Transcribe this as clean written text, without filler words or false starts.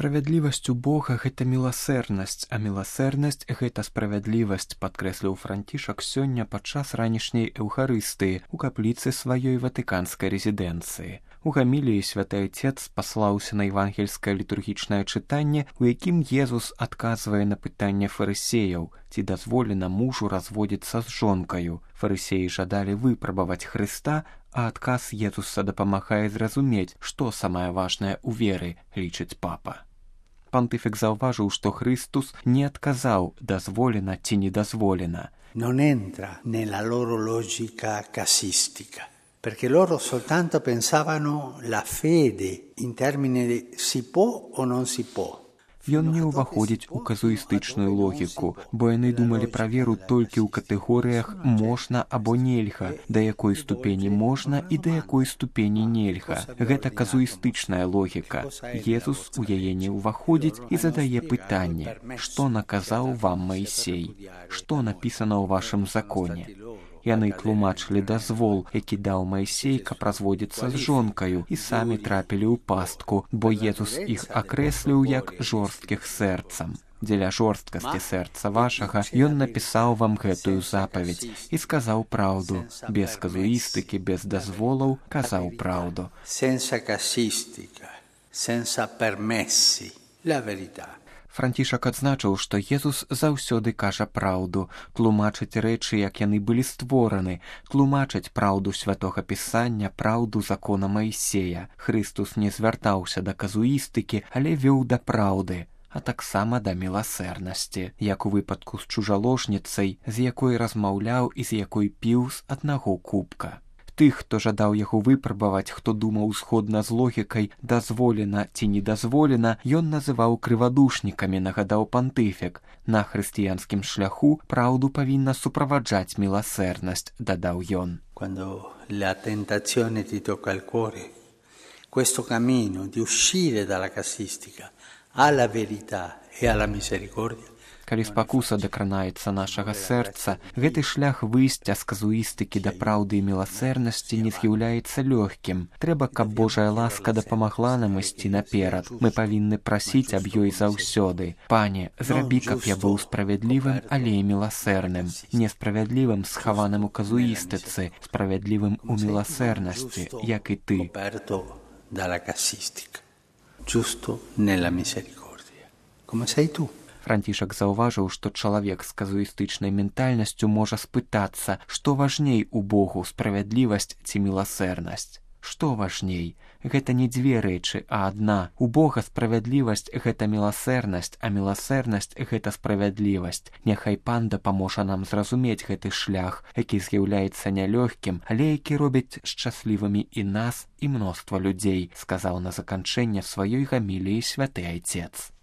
Справядлівасць у Бога – гэта міласэрнасць, а міласэрнасць – гэта справядлівасць, падкрэсліў Францішак сёння падчас ранішняй эўхарыстыі ў капліцы сваёй ватыканскай рэзідэнцыі. У гаміліі святы Айцец паслаўся на евангельскае літургічнае чытанне, у якім Езус адказвае на пытанне фарысеяў, ці дазволена мужу разводзіцца з жонкаю. Фарысеі жадалі выпрабаваць Хрыста, а адказ Езуса дапамагае зразумець, што самае важнае ў веры, лічыць папа. Пантыфік заўважыў, што Христус не адказаў, дазволена ці не дазволена. Non entra nella loro logica casistica, perché loro soltanto pensavano la fede in termini di si può o non si può. Ён не ўваходзіць у казуістычную логіку, бо яны думалі пра веру толькі ў катэгорыях «можна» або «нельга», да якой ступені можна і да якой ступені нельга. Гэта казуістычная логіка. Езус у яе не ўваходзіць і задае пытанне: «Што наказаў вам Маісей? Што напісана ў вашым законе?» Яны тлумачылі дазвол, які даў Маісей, каб разводзіцца з жонкаю, і самі трапілі ў пастку, бо Езус іх акрэсліў як жорсткіх сэрцам. Дзеля жорсткасці сэрца вашага ён напісаў вам гэтую запаведь і сказаў праўду. Без казуістыкі, без дазволаў казаў праўду. Senza casistica, senza permessi, la verità. Францішак адзначыў, што Езус заўсёды кажа праўду, тлумачыць рэчы, як яны былі створаны, тлумачыць праўду святога Пісання, праўду закона Маісея. Христус не звяртаўся да казуістыкі, але вёў да праўды, а таксама да міласэрнасці, як у выпадку з чужаложніцай, з якой размаўляў і з якой піў з аднаго кубка. Тых, хто жадаў яго выпрабаваць, хто думаў згодна з логікай «дазволена ці не дазволена», ён называў крывадушнікамі, нагадаў пантыфік. На хрысціянскім шляху праўду павінна суправаджаць міласэрнасць, дадаў ён. Quando la tentazione ti tocca il cuore, questo cammino di uscire dalla casistica alla verità e alla misericordia. Калі спакуса дакранаецца нашага сэрца, гэты шлях выйсця з казуістыкі да праўды і міласэрнасці не з'яўляецца лёгкім. Трэба, каб Божая ласка дапамагла нам ісці наперад. Мы павінны прасіць аб ёй заўсёды. Пане, зрабі, каб я быў справядлівым, але і міласэрным. Несправядлівым, схаваным у казуістыцы, справядлівым у міласэрнасці, як і ты. Giusto nella misericordia. Come sei tu? Францішак заўважыў, што чалавек з казуістычнай ментальнасцю можа спытацца, што важней у Богу, справядлівасць ці міласэрнасць. Што важней? Гэта не дзве рэчы, а адна. У Бога справядлівасць – гэта міласэрнасць, а міласэрнасць – гэта справядлівасць. Няхай Пан дапаможа нам зразумець гэты шлях, які з'яўляецца нялёгкім, але які робіць шчаслівымі і нас, і мноства людзей, сказаў на заканчэнне сваёй гаміліі святы Айцец.